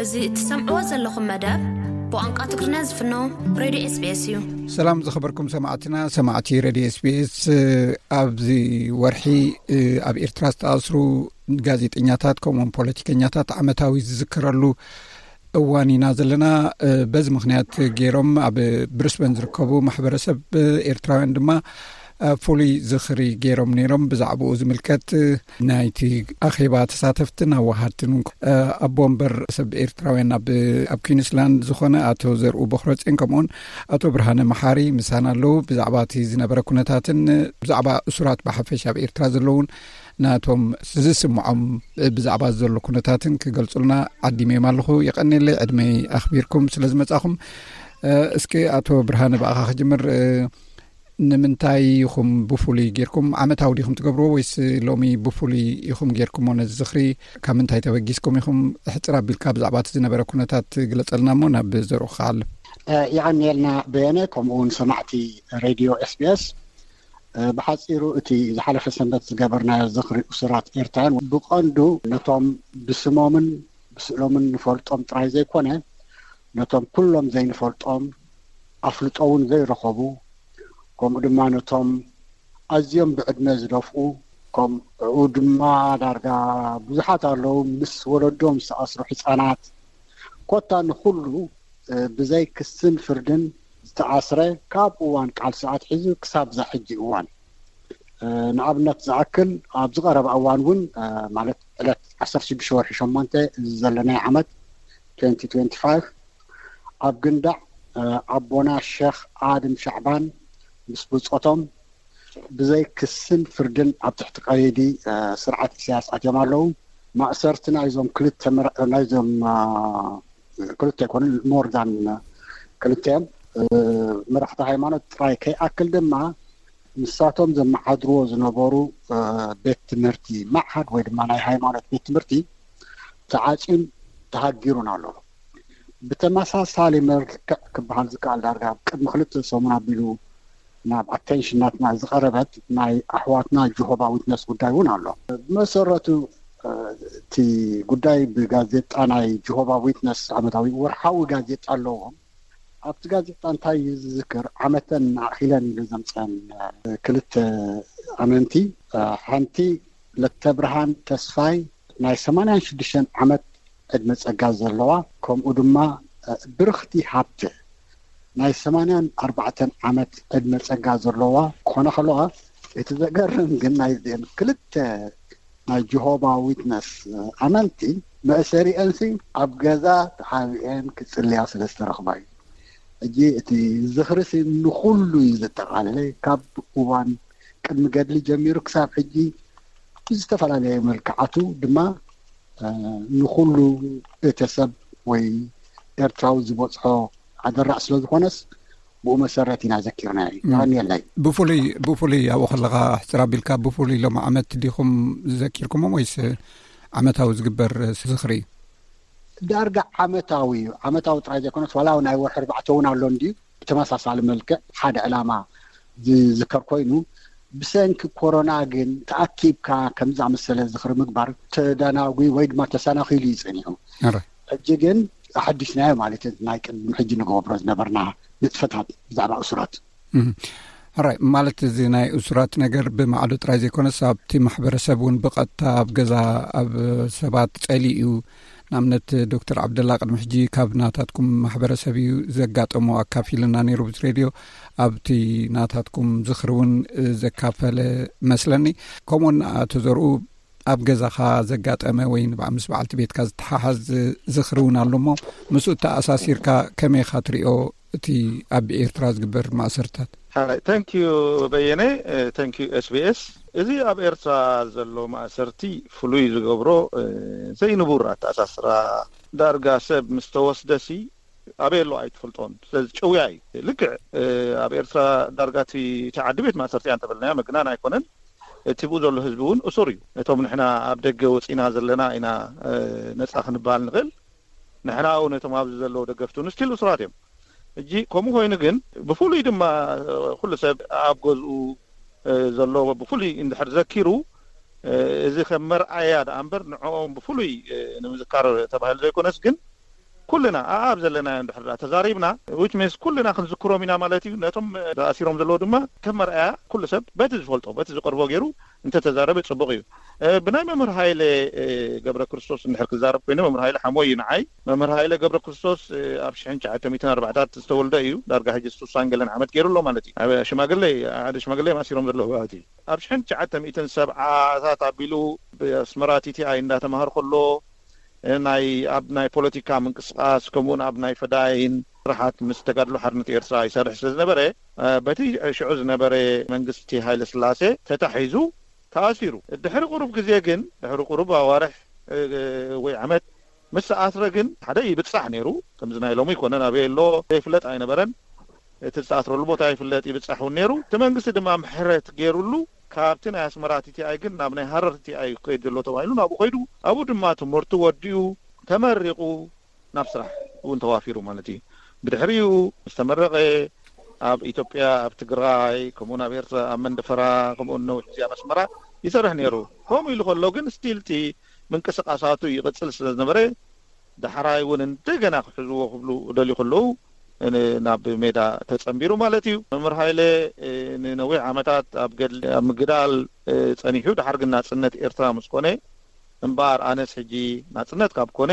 እዚ እትሰምዕዎ ዘለኹም መደብ ብቋንቋ ትግርኛ ዝፍኖ ሬድዮ ኤስቢኤስ እዩ። ሰላም ዝኸበርኩም ሰማዕትና፣ ሰማዕቲ ሬድዮ ኤስቢኤስ፣ እ፣ ኣብዚ ወርሒ፣ እ፣ ኣብ ኤርትራ ዝተኣስሩ ጋዜጠኛታት ከምኡውን ፖለቲከኛታት ዓመታዊ ዝዝከረሉ እዋን ኢና ዘለና። እ፣ በዚ ምኽንያት ገይሮም ኣብ ብሪስበን ዝርከቡ ማሕበረሰብ ኤርትራውያን ድማ፣ እ፣ ፍሉይ ዝኽሪ ገይሮም ነይሮም። ብዛዕባኡ ዝምልከት፣ እ፣ ናይቲ ኣኼባ ተሳተፍትን ኣዋሃድትን እውን፣ እ፣ ኣቦ ወንበር ሰብ ኤርትራውያን ኣብ፣ ኣብ ኩዊንስላንድ ዝኾነ ኣቶ ዘርኡ በኽረጽዮን ከምኡውን ኣቶ ብርሃነ መሓሪ ምሳና ኣለዉ። ብዛዕባ እቲ ዝነበረ ኩነታትን ብዛዕባ እሱራት ብሓፈሻ ኣብ ኤርትራ ዘለውን ናቶም ዝስምዖም ብዛዕባ ዘሎ ኩነታትን ክገልጹልና ዓዲመዮም ኣለኹ። የቐንየለይ ዕድመይ ኣኽቢርኩም ስለ ዝመጻኹም። እ፣ እስኪ ኣቶ ብርሃነ ብኣኻ ክጅምር። እ፣ ንምንታይ ኢኹም ብፍሉይ ጌርኩም? ዓመታዊ ዲኹም ትገብርዎ ወይስ ሎሚ ብፍሉይ ኢኹም ጌርኩሞ ነዚ ዝኽሪ? ካብ ምንታይ ተበጊስኩም ኢኹም? ሕጽር ኣቢልካ ብዛዕባ እቲ ዝነበረ ኩነታት ግለጸልና እሞ ናብ ዘርኡ ክሓልፍ። እ፣ የቐንየልና በየነ፣ ከምኡ እውን ሰማዕቲ ሬድዮ ኤስቢኤስ። እ፣ ብሓጺሩ እቲ ዝሓለፈ ሰንበት ዝገበርናዮ ዝኽሪ እሱራት ኤርትራውያን ብቐንዱ ነቶም ብስሞምን ብስእሎምን ንፈልጦም ጥራይ ዘይኮነ፣ ነቶም ኩሎም ዘይንፈልጦም፣ ኣፍልጦ እውን ዘይረኸቡ፣ ከምኡ ድማ ነቶም ኣዝዮም ብዕድመ ዝደፍኡ፣ ከምኡ ድማ ዳርጋ ብዙሓት ኣለዉ፣ ምስ ወለዶም ዝተኣስሩ ህጻናት፣ ኮታ ንኹሉ፣ እ፣ ብዘይ ክስን ፍርድን ዝተኣስረ ካብ እዋን ቃልሲ ኣትሒዙ ክሳብ እዛ ሕጂ እዋን። እ፣ ንኣብነት ዝኣክል ኣብ ዝቐረበ እዋን እውን፣ እ፣ ማለት ዕለት ዓሰርተ ሽዱሽተ ወርሒ ሸሞንተ እዚ ዘለናዮ ዓመት ትዌንቲ ትዌንቲ ፋይቭ ኣብ ግንዳዕ፣ እ፣ ኣቦና ሸኽ ኣድም ሻዕባን ምስ ብጾቶም ብዘይ ክስን ፍርድን ኣብ ትሕቲ ቀይዲ፣ እ፣ ስርዓት ኢሳያስ ኣትዮም ኣለዉ። ማእሰርቲ ናይዞም ክልተ መራ-፣ ናይዞም፣ እ፣ ክልተ ኣይኮኑን፣ ሞር ዛን ክልተ እዮም። እ፣ መራሕቲ ሃይማኖት ጥራይ ከይኣክል ድማ ንሳቶም ዘመሓድርዎ ዝነበሩ፣ እ፣ ቤት ትምህርቲ፣ ማዕሃድ ወይ ድማ ናይ ሃይማኖት ቤት ትምህርቲ ተዓጽዩን ተሃጊሩን ኣሎ። ብተመሳሳሊ መልክዕ ክበሃል ዝከኣል ዳርጋ ቅድሚ ክልተ ሰሙን ኣቢሉ ናብ ኣቴንሽን ናትና ዝቐረበት ናይ ኣሕዋትና ጆሆባ ዊትነስ ጉዳይ እውን ኣሎ። ብመሰረቱ፣ እ፣ እቲ ጉዳይ ብጋዜጣ ናይ ጆሆባ ዊትነስ ዓመታዊ ወርሓዊ ጋዜጣ ኣለዎም። ኣብቲ ጋዜጣ እንታይ እዩ ዝዝክር? ዓመተን ኣኺለን ኢሉ ዘምፀን፣ እ፣ ክልተ ኣመንቲ፣ እ፣ ሓንቲ ለተብርሃን ተስፋይ ናይ ሰማንያን ሽዱሽተን ዓመት ዕድመ ጸጋ ዘለዋ፣ ከምኡ ድማ፣ እ፣ ብርኽቲ ሃብተ ናይ ሰማንያን ኣርባዕተን ዓመት ዕድመ ጸጋ ዘለዋ ክኾና ከለዋ፣ እቲ ዘገርም ግን ናይዘን ክልተ ናይ ጀሆባ ዊትነስ፣ እ፣ ኣመንቲ መእሰሪአንሲ ኣብ ገዛ ተሓቢአን ክጽልያ ስለ ዝተረኽባ እዩ። ሕጂ እቲ ዝኽርሲ ንኹሉ እዩ ዘጠቓለለ። ካብ እዋን ቅድሚ ገድሊ ጀሚሩ ክሳብ ሕጂ ብዝተፈላለየ መልክዓቱ ድማ፣ እ፣ ንኹሉ ቤተሰብ ወይ ኤርትራዊ ዝበጽሖ ኣደራዕ ስለ ዝኾነስ ብኡ መሰረት ኢና ዘኪርናዮ። ም። የቐንየለይ። ብፍሉይ፣ ብፍሉይ ኣብኡ ከለኻ ሕጽር ኣቢልካ ብፍሉይ ሎም ዓመት ዲኹም ዘኪርኩሞም ወይስ ዓመታዊ ዝግበር ዝኽሪ? ዳርጋ ዓመታዊ እዩ። ዓመታዊ ጥራይ ዘይኮነስ ዋላ ናይ ወርሒ ኣርባዕተ እውን ኣሎ እንድዩ። ብተመሳሳሊ መልክዕ ሓደ ዕላማ ዝዝከር ኮይኑ፣ ብሰንኪ ኮሮና ግን ተኣኪብካ ከምዚ ዝኣመሰለ ዝኽሪ ምግባር ተደናጒ ወይ ድማ ተሰናኺሉ እዩ ጸኒሑ። ኣረ። ሕጂ ግን ኣሐዲስናዮ ማለት እዩ፣ ናይ ቅድሚ ሕጂ ንገብሮ ዝነበርና ንጥፈታት ብዛዕባ እሱራት። እም። ሕራይ፣ ማለት እዚ ናይ እሱራት ነገር ብማዕዶ ጥራይ ዘይኮነስ ኣብቲ ማሕበረሰብ እውን ብቐጥታ ኣብ ገዛ ኣብ ሰባት ጸሊኡ እዩ። ንኣብነት ዶክተር ዓብደላ ቅድሚ ሕጂ ካብ ናታትኩም ማሕበረሰብ እዩ ዘጋጠሞ ኣካፊልና ነይሩ ብዚ ሬድዮ። ኣብቲ ናታትኩም ዝኽሪ እውን ዘካፈለ መስለኒ። ከምኡውን ኣቶ ዘርኡ ኣብ ገዛኻ ዘጋጠመ ወይ ንበዓ-፣ ምስ በዓልቲ ቤትካ ዝተሓሓዝ ዝኽሪ እውን ኣሎ እሞ ምስኡ ተኣሳሲርካ ከመይ ኢኻ ትሪኦ? እቲ ኣብ ኤርትራ ዝግበር ማእሰርታት። Hi, thank you በየነ፣ እ፣ thank you ኤስቢኤስ። እዚ ኣብ ኤርትራ ዘሎ ማእሰርቲ ፍሉይ ዝገብሮ፣ እ፣ ዘይንቡር ኣተኣሳስራ፣ ዳርጋ ሰብ ምስ ተወስደሲ ኣበይ ኣሎ ኣይትፈልጦን። ስለዚ ጭውያ እዩ። ልክዕ፣ እ፣ ኣብ ኤርትራ ዳርጋ እቲ፣ እቲ ዓዲ ቤት ማእሰርቲ እያ እንተበልናዮ ምግናን ኣይኮነን። እቲ ብኡ ዘሎ ህዝቢ እውን እሱር እዩ። እቶም ንሕና ኣብ ደገ ወጺና ዘለና ኢና፣ እ፣ ነጻ ክንበሃል ንኽእል። ንሕና እውን እቶም ኣብዚ ዘለዉ ደገፍቲ እውን ስቲል እሱራት እዮም። ሕጂ ከምኡ ኮይኑ ግን ብፍሉይ ድማ፣ እ፣ ኩሉ ሰብ ኣብ ገዝኡ፣ እ፣ ዘሎ ብፍሉይ እንድሕር ዘኪሩ፣ እ፣ እዚ ከም መርኣያ ደኣ እምበር ንዕኦም ብፍሉይ፣ እ፣ ንምዝካር ተባሂሉ ዘይኮነስ ግን ኩልና ኣኣብ ዘለናዮ እንድሕር ደኣ ተዛሪብና፣ which means ኩልና ክንዝክሮም ኢና ማለት እዩ። ነቶም ተኣሲሮም ዘለዉ ድማ ከም መርኣያ ኩሉ ሰብ በቲ ዝፈልጦ በቲ ዝቀርቦ ገይሩ እንተተዛረበ ጽቡቕ እዩ። ብናይ መምህር ሃይለ ገብረ ክርስቶስ እንድሕር ክዛረብ ኮይነ፣ መምህር ሃይለ ሓሞይ እዩ ንዓይ። መምህር ሃይለ ገብረ ክርስቶስ ኣብ ሽሕን ትሽዓተ ሚእትን ኣርባዕታት ዝተወልደ እዩ። ዳርጋ ሕጂ ስሳን ገለን ዓመት ገይሩ ኣሎ ማለት እዩ። ሽማግለ ሓደ ሽማግለ እዮም ኣሲሮም ዘለዉ። ኣብቲ ኣብ ሽሕን ትሽዓተ ሚእትን ሰብዓታት ኣቢሉ ብኣስመራ ቲቲኣይ እንዳተማሃር ከሎ ናይ ኣብ ናይ ፖለቲካ ምንቅስቃስ ከምኡውን ኣብ ናይ ፈዳይን ስራሓት ምስ ተጋድሎ ሓርነት ኤርትራ ይሰርሕ ስለ ዝነበረ፣ በቲ ሽዑ ዝነበረ መንግስቲ ሃይለ ስላሴ ተታሒዙ ተኣሲሩ። ድሕሪ ቁሩብ ግዜ ግን፣ ድሕሪ ቁሩብ ኣዋርሕ ወይ ዓመት ምስ ተኣስረ ግን ሓደ ይብጻሕ ነይሩ። ከምዚ ናይ ሎሚ ይኮነን፣ ኣበይ ኣሎ ዘይፍለጥ ኣይነበረን። እቲ ዝተኣስረሉ ቦታ ይፍለጥ፣ ይብጻሕ እውን ነይሩ። እቲ መንግስቲ ድማ ምሕረት ገይሩሉ፣ ካብቲ ናይ ኣስመራ ቲቲኣይ ግን ናብ ናይ ሃረር ቲቲኣይ ክኸይድ ዘሎ ተባሂሉ ናብኡ ከይዱ። ኣብኡ ድማ ትምህርቱ ወዲኡ ተመሪቑ ናብ ስራሕ እውን ተዋፊሩ ማለት እዩ። ብድሕሪኡ ምስ ተመረቐ ኣብ ኢትዮጵያ፣ ኣብ ትግራይ፣ ከምኡውን ኣብ ኤርትራ፣ ኣብ መንደፈራ፣ ከምኡውን ነዊሕ ግዜ ኣብ ኣስመራ ይሰርሕ ነይሩ። ከምኡ ኢሉ ከሎ ግን ስቲል እቲ ምንቅስቃሳቱ ይቕጽል ስለ ዝነበረ፣ ዳሕራይ እውን እንደገና ክሕዝዎ ክብሉ ደልዩ ከለዉ ናብ ሜዳ ተጸንቢሩ ማለት እዩ። መምህር ሃይለ ንነዊሕ ዓመታት ኣብ ገድሊ ኣብ ምግዳል ጸኒሑ፣ ድሓር ግን ናጽነት ኤርትራ ምስ ኮነ እምበኣር፣ ኣነስ ሕጂ ናጽነት ካብ ኮነ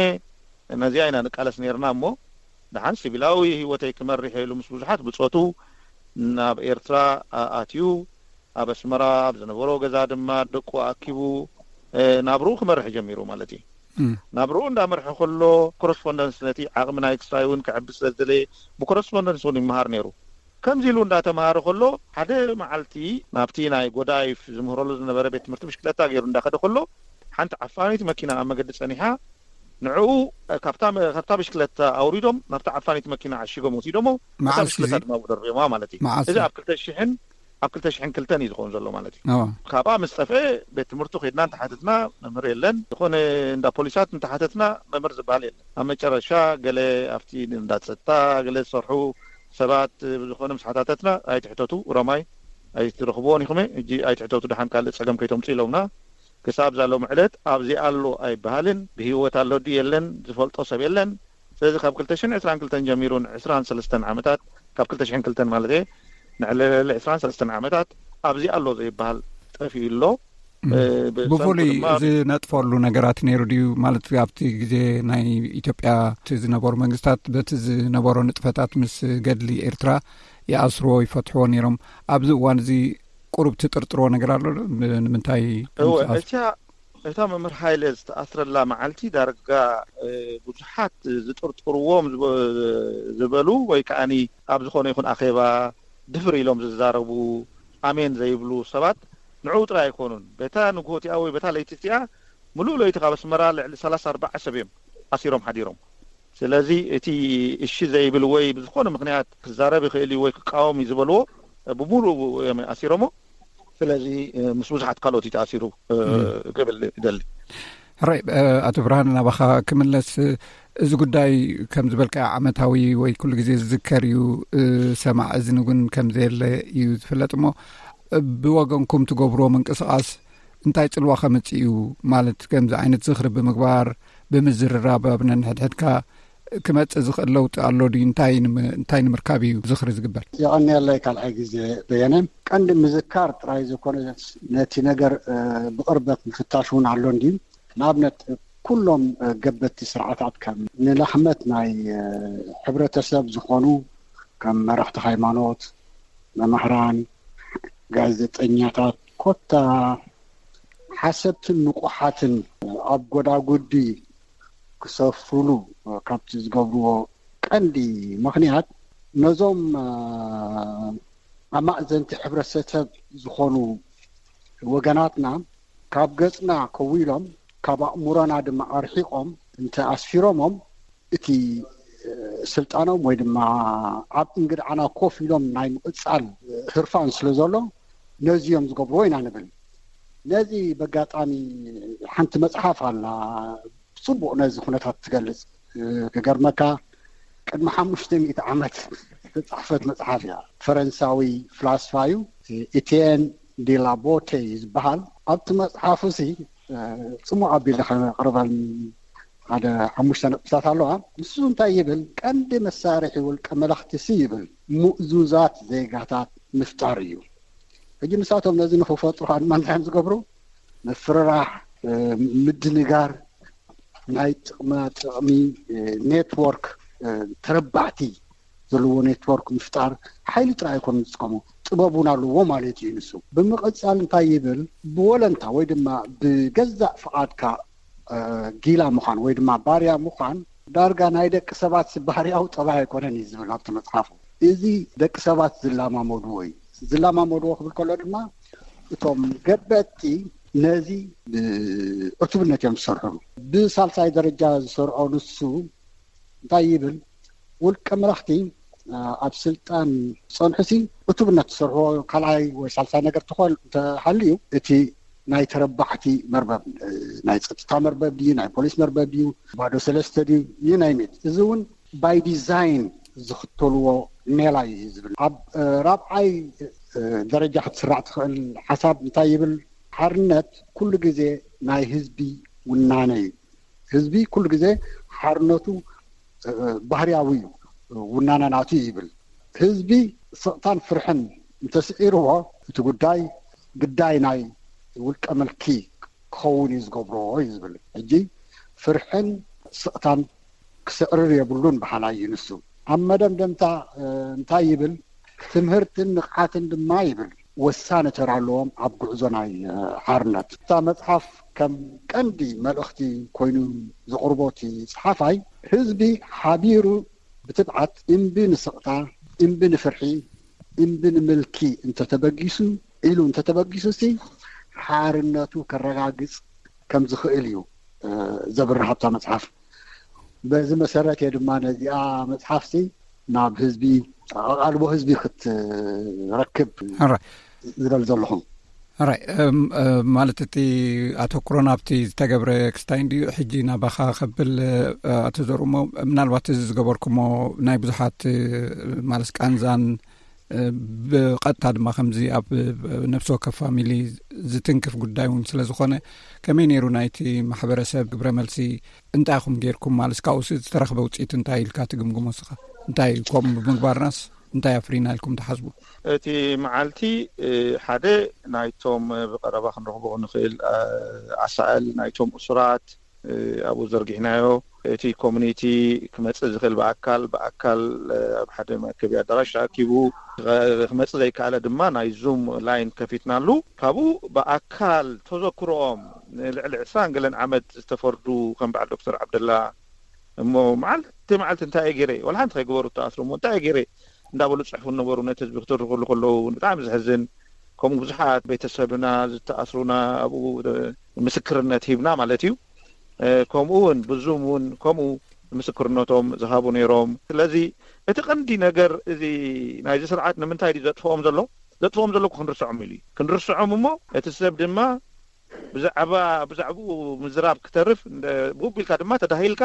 ነዚኣ ኢና ንቃለስ ነይርና እሞ፣ ደሓን ሲቪላዊ ህይወተይ ክመርሕ ኢሉ ምስ ብዙሓት ብጾቱ ናብ ኤርትራ ኣትዩ፣ ኣብ ኣስመራ ኣብ ዝነበሮ ገዛ ድማ ደቁ ኣኪቡ ናብርኡ ክመርሕ ጀሚሩ ማለት እዩ። ናብርኡ እንዳመርሐ ከሎ ኮረስፖንደንስ፣ ነቲ ዓቕሚ ናይ ክስታይ እውን ክዕቢ ስለ ዝደለየ፣ ብኮረስፖንደንስ እውን ይመሃር ነይሩ። ከምዚ ኢሉ እንዳተምሃረ ከሎ፣ ሓደ መዓልቲ ናብቲ ናይ ጎዳይፍ ዝምህረሉ ዝነበረ ቤት ትምህርቲ ብሽክለታ ገይሩ እንዳኸደ ከሎ፣ ሓንቲ ዓፋኒት መኪና ኣብ መገዲ ጸኒሓ፣ ንዕኡ ካብታ ካብታ ብሽክለታ ኣውሪዶም ናብታ ዓፋኒት መኪና ዓሺጎም ወሲዶሞ፣ እታ ብሽክለታ ድማ ደርብዮማ ማለት እዩ። እዚ ኣብ ክልተ ሽሕን ኣብ ክልተ ሽሕን ክልተን እዩ ዝኸውን ዘሎ ማለት እዩ። ካብኣ ምስ ጠፍአ፣ ቤት ትምህርቱ ከድና እንተሓተትና፣ መምህር የለን። ዝኾነ እንዳ ፖሊሳት እንተሓተትና፣ መምህር ዝበሃል የለን። ኣብ መጨረሻ ገለ ኣብቲ እንዳ ጸጥታ ገለ ዝሰርሑ ሰባት ብዝኾነ ምስ ሓታተትና፣ ኣይትሕተቱ፣ ኦሮማይ ኣይትረኽብዎን ኢኹም፣ ሕጂ ኣይትሕተቱ፣ ደሓን ካልእ ጸገም ከይተምጹ ኢሎምና። ክሳብ ዛሎም ዕለት ኣብዚ ኣሎ ኣይበሃልን፣ ብህይወት ኣሎ ድዩ የለን ዝፈልጦ ሰብ የለን። ስለዚ ካብ ክልተ ሽሕን ዕስራን ክልተን ጀሚሩ ንዕስራን ሰለስተን ዓመታት፣ ካብ ክልተ ሽሕን ክልተን ማለት እየ፣ ንዕለለለ ዕስራን ሰለስተን ዓመታት ኣብዚ ኣሎ ዘይበሃል ጠፊኡ ኣሎ። ብፍሉይ ዝነጥፈሉ ነገራት ነይሩ ድዩ? ማለት ኣብቲ ግዜ ናይ ኢትዮጵያ እቲ ዝነበሩ መንግስታት በቲ ዝነበሮ ንጥፈታት ምስ ገድሊ ኤርትራ ይኣስርዎ ይፈትሕዎ ነይሮም። ኣብዚ እዋን እዚ ቁሩብ ትጥርጥርዎ ነገር ኣሎ ዶ? ንምንታይ እወ፣ እታ መምህር ሃይለ ዝተኣስረላ መዓልቲ ዳርጋ ብዙሓት ዝጥርጥርዎም ዝበሉ ወይ ከዓኒ ኣብ ዝኾነ ይኹን ኣኼባ ድፍር ኢሎም ዝዛረቡ፣ ኣሜን ዘይብሉ ሰባት ንዕኡ ጥራይ ኣይኮኑን። በታ ንግሆቲኣ ወይ በታ ለይቲ እቲኣ፣ ምሉእ ለይቲ ካብ ኣስመራ ልዕሊ ሰላሳ ኣርባዓ ሰብ እዮም ኣሲሮም ሓዲሮም። ስለዚ እቲ እሺ ዘይብል ወይ ብዝኾነ ምኽንያት ክዛረብ ይኽእል እዩ ወይ ክቃወም እዩ ዝበልዎ፣ ብምሉእ እዮም ኣሲሮሞ። ስለዚ ምስ ብዙሓት ካልኦት እዩ ተኣሲሩ ክብል ይደሊ። ሕራይ፣ ኣቶ ብርሃን፣ ናባኻ ክምለስ፣ እዚ ጉዳይ ከም ዝበልካ ዓመታዊ ወይ ኩሉ ግዜ ዝዝከር እዩ። ሰማዕ እዝኒ እውን ከም ዘየለ እዩ ዝፍለጥ እሞ፣ ብወገንኩም ትገብርዎ ምንቅስቃስ እንታይ ጽልዋ ከምጽእ እዩ? ማለት ከምዚ ዓይነት ዝኽሪ ብምግባር፣ ብምዝርራብ ኣብ ነንሕድሕድካ ክመጽእ ዝኽእል ለውጢ ኣሎ ድዩ? እንታይ ንም-፣ እንታይ ንምርካብ እዩ ዝኽሪ ዝግበር? የቐንየለይ ካልኣይ ግዜ በየነ። ቀንዲ ምዝካር ጥራይ ዘይኮነ፣ ነቲ ነገር ብቕርበት ምፍታሽ እውን ኣሎ እንድዩ። ንኣብነት፣ ኩሎም ገበቲ ስርዓታት ከም ንላሕመት ናይ ሕብረተሰብ ዝኾኑ ከም መራሕቲ ሃይማኖት፣ መማህራን፣ ጋዜጠኛታት፣ ኮታ ሓሰብትን ንቑሓትን ኣብ ጎዳጉዲ ክሰፍሩሉ ካብቲ ዝገብርዎ ቀንዲ ምኽንያት፣ ነዞም ኣማእዘንቲ ሕብረተሰብ ዝኾኑ ወገናትና ካብ ገጽና ከዊሎም፣ ካብ ኣእምሮና ድማ ኣርሒቖም እንተ ኣስፊሮሞም፣ እቲ ስልጣኖም ወይ ድማ ኣብ እንግድዓና ኮፍ ኢሎም ናይ ምቕጻል ህርፋን ስለ ዘሎ፣ ነዚ እዮም ዝገብርዎ ኢና ንብል። ነዚ በጋጣሚ ሓንቲ መጽሓፍ ኣላ፣ ጽቡቕ ነዚ ኩነታት ትገልጽ። ክገርመካ፣ ቅድሚ ሓሙሽተ ሚእቲ ዓመት ዝተጻሕፈት መጽሓፍ እያ። ፈረንሳዊ ፍላስፋ እዩ፣ ኢቲየን ዲ ላቦቴ እዩ ዝበሃል። ኣብቲ መጽሓፉ ሲ ጽሙቕ ኣቢለ ከቕርበል ሓደ ሓሙሽተ ነጥብታት ኣለዋ። ንሱ እንታይ ይብል? ቀንዲ መሳርሒ ውልቀ መላኽቲ ሲ ይብል ምእዙዛት ዜጋታት ምፍጣር እዩ። ሕጂ ንሳቶም ነዚ ንኽፈጥሩ ከዓ ድማ እንታይ እዮም ዝገብሩ? ምፍርራሕ፣ ምድንጋር፣ ናይ ጥቕማ ጥቕሚ ኔትወርክ፣ ተረባዕቲ ዘለዎ ኔትወርክ ምፍጣር። ሓይሊ ጥራይ ኣይኮኑን ዝጥቀሙ፣ ጥበብ እውን ኣለዎ ማለት እዩ። ንሱ ብምቕፃል እንታይ ይብል? ብወለንታ ወይ ድማ ብገዛእ ፍቓድካ ጊላ ምዃን ወይ ድማ ባርያ ምዃን ዳርጋ ናይ ደቂ ሰባት ባህርያዊ ጠባይ ኣይኮነን እዩ ዝብል ኣብቲ መፅሓፉ። እዚ ደቂ ሰባት ዝላማመድዎ እዩ። ዝላማመድዎ ክብል ከሎ ድማ እቶም ገበቲ ነዚ ብዕቱብነት እዮም ዝሰርሑ። ብሳልሳይ ደረጃ ዝሰርዖ ንሱ እንታይ ይብል? ውልቀ መላኽቲ ኣብ ስልጣን ጸንሑሲ ዕቱብነት ዝሰርሕዎ ካልኣይ ወይ ሳልሳይ ነገር ተኾን እንተሃልዩ፣ እቲ ናይ ተረባሕቲ መርበብ፣ ናይ ጸጥታ መርበብ ድዩ፣ ናይ ፖሊስ መርበብ ድዩ፣ ባዶ ሰለስተ ድዩ፣ ይናይሜት፣ እዚ እውን ባይ ዲዛይን ዝኽተልዎ ሜላ እዩ ዝብል። ኣብ ራብዓይ ደረጃ ክትስራዕ ትኽእል ሓሳብ እንታይ ይብል? ሓርነት ኩሉ ግዜ ናይ ህዝቢ ውናነ እዩ። ህዝቢ ኩሉ ግዜ ሓርነቱ ባህርያዊ እዩ፣ ውናነ ናቱ ይብል። ህዝቢ ስቕታን ፍርሕን እንተስዒርዎ፣ እቲ ጉዳይ ግዳይ ናይ ውልቀ ምልኪ ክኸውን እዩ ዝገብሮ እዩ ዝብል። ሕጂ ፍርሕን ስቕታን ክስዕርር የብሉን በሃላይ እዩ ንሱ። ኣብ መደምደምታ እንታይ ይብል? ትምህርትን ንቕሓትን ድማ ይብል ወሳኒ ተራ ኣለዎም ኣብ ጉዕዞ ናይ ሓርነት። እታ መፅሓፍ ከም ቀንዲ መልእኽቲ ኮይኑ ዘቕርቦ እቲ ፀሓፋይ፣ ህዝቢ ሓቢሩ ብትብዓት እምቢ ንስቕታ፣ እምቢ ንፍርሒ፣ እምቢ ንምልኪ እንተተበጊሱ ኢሉ እንተተበጊሱ ሲ ሓርነቱ ከረጋግፅ ከም ዝኽእል እዩ ዘብርህ ኣብታ መፅሓፍ። በዚ መሰረት እየ ድማ ነዚኣ መፅሓፍሲ ናብ ህዝቢ፣ ኣቓልቦ ህዝቢ ክትረክብ ዝደሊ ዘለኹ። ራይ ማለት እቲ ኣተኩሮ ናብቲ ዝተገብረ ክስታይ እንድዩ። ሕጂ ናባኻ ከብል ኣቶ ዘርኡሞ፣ ምናልባት እዚ ዝገበርኩሞ ናይ ብዙሓት ማለት ቃንዛን ብቐጥታ ድማ ከምዚ ኣብ ነፍሲ ወከፍ ፋሚሊ ዝትንክፍ ጉዳይ እውን ስለ ዝኾነ፣ ከመይ ነይሩ ናይቲ ማሕበረሰብ ግብረ መልሲ? እንታይ ኢኹም ጌርኩም? ማለት ካብኡስ ዝተረኽበ ውፅኢት እንታይ ኢልካ ትግምግሞ ስኻ? እንታይ ከምኡ ብምግባርናስ እንታይ ኣፍሪና ኢልኩም ትሓስቡ? እቲ መዓልቲ ሓደ ናይቶም ብቐረባ ክንረኽቦ ንኽእል ኣሳእል ናይቶም እሱራት ኣብኡ ዘርጊሕናዮ። እቲ ኮሚኒቲ ክመፅእ ዝኽእል ብኣካል ብኣካል ኣብ ሓደ መእከቢ ኣዳራሽ ተኣኪቡ፣ ክመፅእ ዘይከኣለ ድማ ናይ ዙም ላይን ከፊትናሉ። ካብኡ ብኣካል ተዘክሮኦም ንልዕሊ ዕስራን ገለን ዓመት ዝተፈርዱ ከም በዓል ዶክተር ዓብደላ እሞ መዓልቲ መዓልቲ እንታይ እየ ገይረ፣ ዋላ ሓንቲ ከይገበሩ ተኣስሩ እሞ እንታይ እየ ገይረ እንዳበሉ ዝፅሕፉ ነበሩ። ነቲ ህዝቢ ክትርኽሉ ከለዉ ብጣዕሚ ዘሕዝን። ከምኡ ብዙሓት ቤተሰብና ዝተኣስሩና ኣብኡ ምስክርነት ሂብና ማለት እዩ። ከምኡ እውን ብዙም እውን ከምኡ ምስክርነቶም ዝሃቡ ነይሮም። ስለዚ እቲ ቀንዲ ነገር እዚ ናይዚ ስርዓት ንምንታይ ድዩ ዘጥፍኦም ዘሎ? ዘጥፍኦም ዘሎ እኮ ክንርስዖም ኢሉ እዩ። ክንርስዖም እሞ እቲ ሰብ ድማ ብዛዕባ ብዛዕባኡ ምዝራብ ክተርፍ እንደ-፣ ብኡ ቢልካ ድማ ተዳሂልካ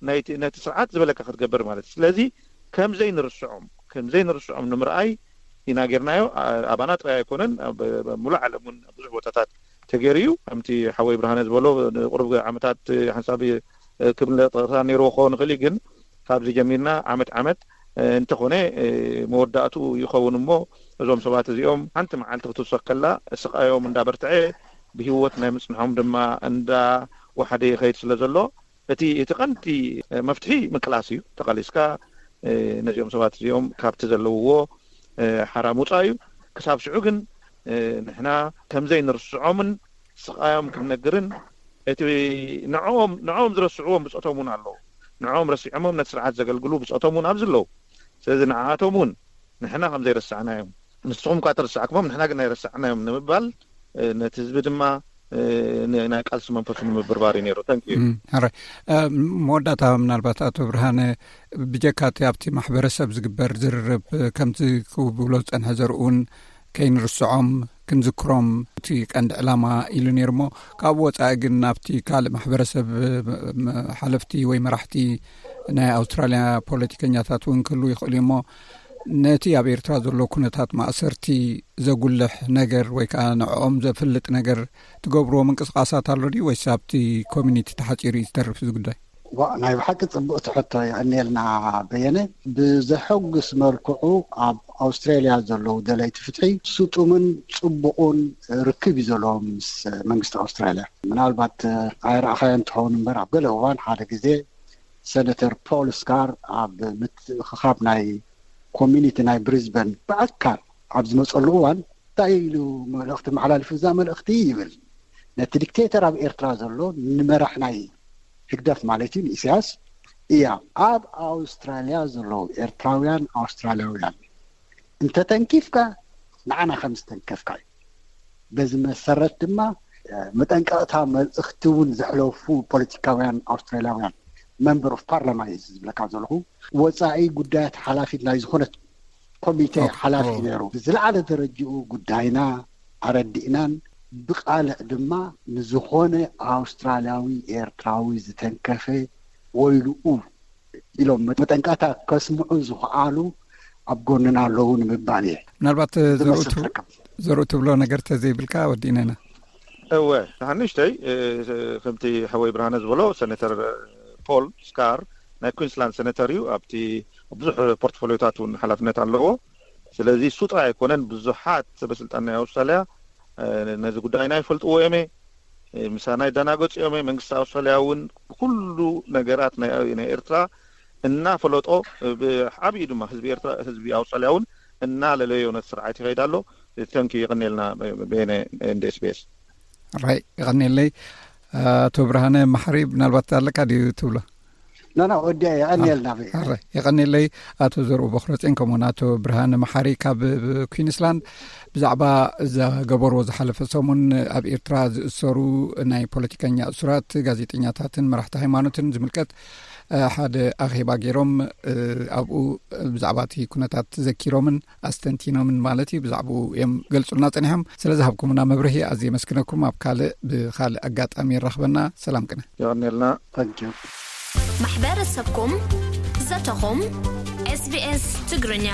ናይቲ ነቲ ስርዓት ዝበለካ ክትገብር ማለት እዩ። ስለዚ ከምዘይ ንርስዖም ከምዘይ ንርስዖም ንምርኣይ ኢና ጌርናዮ። ኣ-፣ ኣባና ጥራይ ኣይኮነን፣ ኣብ፣ ኣብ ሙሉእ ዓለም እውን ኣብ ብዙሕ ቦታታት ተገይሩ እዩ። ከምቲ ሓወይ ብርሃነ ዝበሎ ንቁሩብ ዓመታት ሓንሳብ ክብለ ጥቕሳ ነይርዎ ክኸውን ይኽእል እዩ፣ ግን ካብዚ ጀሚርና ዓመት ዓመት እንተኾነ መወዳእትኡ ይኸውን እሞ እዞም ሰባት እዚኦም ሓንቲ መዓልቲ ክትውሰኽ ከላ ስቓዮም እንዳበርትዐ ብህይወት ናይ ምጽንሖም ድማ እንዳወሓደ ይኸይድ ስለ ዘሎ እቲ እቲ ቀንዲ መፍትሒ ምቅላስ እዩ። ተቓሊስካ ነዚኦም ሰባት እዚኦም ካብቲ ዘለውዎ ሓራ ምውጻእ እዩ። ክሳብ ሽዑ ግን ንሕና ከምዘይ ንርስዖምን ስቓዮም ክንነግርን እቲ ንዕኦም ንዕኦም ዝረስዕዎም ብጾቶም እውን ኣለዉ። ንዕኦም ረሲዖሞም ነቲ ስርዓት ዘገልግሉ ብጾቶም እውን ኣብዚ ኣለዉ። ስለዚ ንዓኣቶም እውን ንሕና ከም ዘይረሳዕናዮም ንስኹም እኳ ተረሳዕኩሞም ንሕና ግን ኣይረሳዕናዮም ንምባል ነቲ ህዝቢ ድማ ናይ ቃልሲ መንፈሱ ንምብርባር እዩ ነይሩ። ተንክዩ። ሕራይ መወዳእታ ምናልባት ኣቶ ብርሃነ ብጀካ እቲ ኣብቲ ማሕበረሰብ ዝግበር ዝርርብ ከምቲ ክብሎ ዝፀንሐ ዘርኡን ከይንርስዖም ክንዝክሮም እቲ ቀንዲ ዕላማ ኢሉ ነይሩ እሞ ካብኡ ወፃኢ ግን ናብቲ ካልእ ማሕበረሰብ ሓለፍቲ ወይ መራሕቲ ናይ ኣውስትራልያ ፖለቲከኛታት እውን ክህሉ ይኽእሉ እሞ ነቲ ኣብ ኤርትራ ዘሎ ኩነታት ማእሰርቲ ዘጉልሕ ነገር ወይ ከዓ ንዕኦም ዘፍልጥ ነገር ትገብርዎ ምንቅስቃሳት ኣሎ ድዩ ወይስ ኣብቲ ኮሚኒቲ ተሓፂሩ እዩ ዝተርፍ እዚ ጉዳይ? ዋ፣ ናይ ብሓቂ ጽቡቕ ትሕቶ። የቐንየልና በየነ። ብዘሐጉስ መልክዑ ኣብ ኣውስትራልያ ዘለዉ ደለይቲ ፍትሒ ስጡምን ጽቡቕን ርክብ እዩ ዘለዎም ምስ መንግስቲ ኣውስትራልያ። ምናልባት ኣይረኣኻዮን ትኸውን እምበር፣ ኣብ ገለ እዋን ሓደ ግዜ ሰነተር ፖል ስካር ኣብ ምትእኽኻብ ናይ ኮሚኒቲ ናይ ብሪዝበን ብኣካል ኣብ ዝመጸሉ እዋን እንታይ ኢሉ መልእኽቲ መሓላልፉ? እዛ መልእኽቲ ይብል፣ ነቲ ዲክቴተር ኣብ ኤርትራ ዘሎ፣ ንመራሕ ናይ ህግደፍ ማለት እዩ፣ ንኢሳያስ፣ እያ፣ ኣብ ኣውስትራልያ ዘለዉ ኤርትራውያን ኣውስትራልያውያን እንተተንኪፍካ ንዓና ከም ዝተንከፍካ እዩ። በዚ መሰረት ድማ መጠንቀቕታ መልእኽቲ እውን ዘሕለፉ ፖለቲካውያን ኣውስትራልያውያን፣ መንበር ኦፍ ፓርላማ እዩ ዝብለካ ዘለኹ፣ ወፃኢ ጉዳያት ሓላፊት ናይ ዝኾነት ኮሚቴ ሓላፊ ነይሩ። ብዝለዓለ ደረጃኡ ጉዳይና ኣረዲእናን ብቃልዕ ድማ ንዝኾነ ኣውስትራልያዊ ኤርትራዊ ዝተንከፈ ወይልኡ ኢሎም መጠንቀቕታ ከስምዑ ዝኽኣሉ ኣብ ጎንና ኣለዉ ንምባል እየ። ምናልባት ዘርኡ ትብሎ ነገር ተዘይብልካ ወዲእና ኢና። እወ፣ ንሓንሽተይ ከምቲ ሓወይ ብርሃነ ዝበሎ፣ ሰነተር ፖል ስካር ናይ ኩንስላንድ ሰነተር እዩ። ኣብቲ ብዙሕ ፖርትፎሊዮታት እውን ሓላፍነት ኣለዎ። ስለዚ እሱ ጥራይ ኣይኮነን፣ ብዙሓት ሰበስልጣን ናይ ኣውስትራልያ ነዚ ጉዳይና ይፈልጥዎ እዮም፣ ምሳና ይደናገፁ እዮም። መንግስቲ ኣውስትራልያ እውን ብኩሉ ነገራት ናይ ኤርትራ እናፈለጦ፣ ብዓብዩ ድማ ህዝቢ ኤርትራ፣ ህዝቢ ኣውስትራልያ እውን እናለለዮ ነቲ ስርዓት ይኸይድ ኣሎ። ተንኪ ይቕኔልና በየነ እንደ SBS። ራይ ይቐኔለይ። ኣቶ ብርሃነ ማሕሪ፣ ምናልባት ኣለካ ድዩ ትብሎ? ናና ወዲያ የቐኔልና። የቐኔለይ ኣቶ ዘርኡ በክረፅን ከምኡውን ኣቶ ብርሃነ መሓሪ ካብ ኩንስላንድ ብዛዕባ ዘገበርዎ ዝሓለፈ ሰሙን ኣብ ኤርትራ ዝእሰሩ ናይ ፖለቲከኛ እሱራት፣ ጋዜጠኛታትን መራሕቲ ሃይማኖትን ዝምልከት ሓደ ኣኼባ ገይሮም፣ ኣብኡ ብዛዕባ እቲ ኩነታት ዘኪሮምን ኣስተንቲኖምን ማለት እዩ፣ ብዛዕባኡ እዮም ገልጹልና ጸኒሖም። ስለ ዝሃብኩምና መብርሂ ኣዝየ የመስግነኩም። ኣብ ካልእ ብኻልእ ኣጋጣሚ ይራኽበና። ሰላም ቅነ። የቐንየልና። ማሕበረሰብኩም ዘተኹም SBS ትግርኛ።